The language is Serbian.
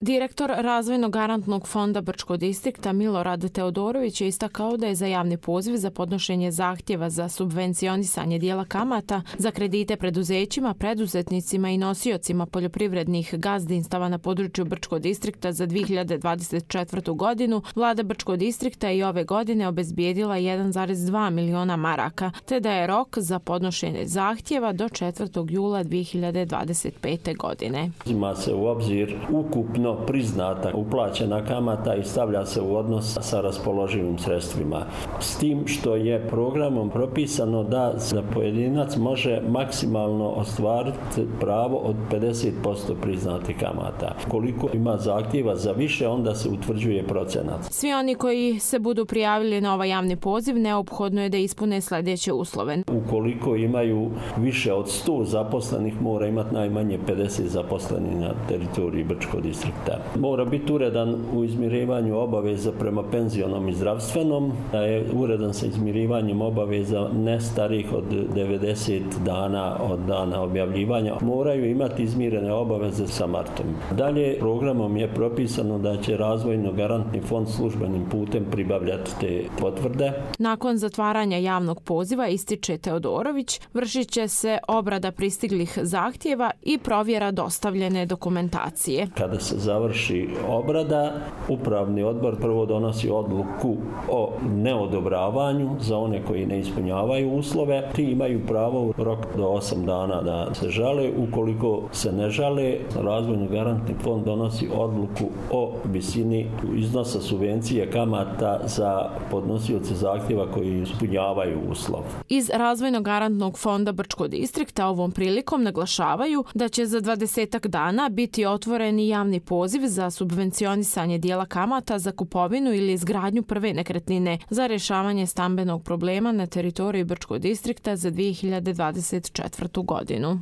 Direktor Razvojnog garantnog fonda Brčkog distrikta Milorad Teodorović je istakao da je za javni poziv za podnošenje zahtjeva za subvencionisanje dijela kamata za kredite preduzećima, preduzetnicima i nosiocima poljoprivrednih gazdinstava na području Brčkog distrikta za 2024. godinu, vlada Brčkog distrikta je i ove godine obezbijedila 1,2 miliona maraka, te da je rok za podnošenje zahtjeva do 4. jula 2025. godine. Uzima se u obzir ukupno priznata uplaćena kamata i stavlja se u odnos sa raspoloživim sredstvima. S tim što je programom propisano da za pojedinac može maksimalno ostvariti pravo od 50% priznatih kamata. Koliko ima zahtjeva za više, onda se utvrđuje procenat. Svi oni koji se budu prijavili na ovaj javni poziv neophodno je da ispune sljedeće uslove. Ukoliko imaju više od 100 zaposlenih, mora imati najmanje 50 zaposlenih na teritoriji Brčkog distrikta. Mora biti uredan u izmirivanju obaveza prema penzionom i zdravstvenom, da je uredan sa izmirivanjem obaveza ne starih od 90 dana od dana objavljivanja. Moraju imati izmirene obaveze sa martom. Dalje, programom je propisano da će Razvojno garantni fond službenim putem pribavljati te potvrde. Nakon zatvaranja javnog poziva, ističe Teodorović, vršit će se obrada pristiglih zahtjeva i provjera dostavljene dokumentacije. Kada se završi obrada, upravni odbor prvo donosi odluku o neodobravanju za one koji ne ispunjavaju uslove. Ti imaju pravo u rok do 8 dana da se žale. Ukoliko se ne žale, Razvojni garantni fond donosi odluku o visini iznosa subvencije kamata za podnosioce zahtjeva koji ispunjavaju uslov. Iz Razvojnog garantnog fonda Brčkog distrikta ovom prilikom naglašavaju da će za 20 dana biti otvoreni javni poziv za subvencionisanje dijela kamata za kupovinu ili izgradnju prve nekretnine za rješavanje stambenog problema na teritoriji Brčkog distrikta za 2024. godinu.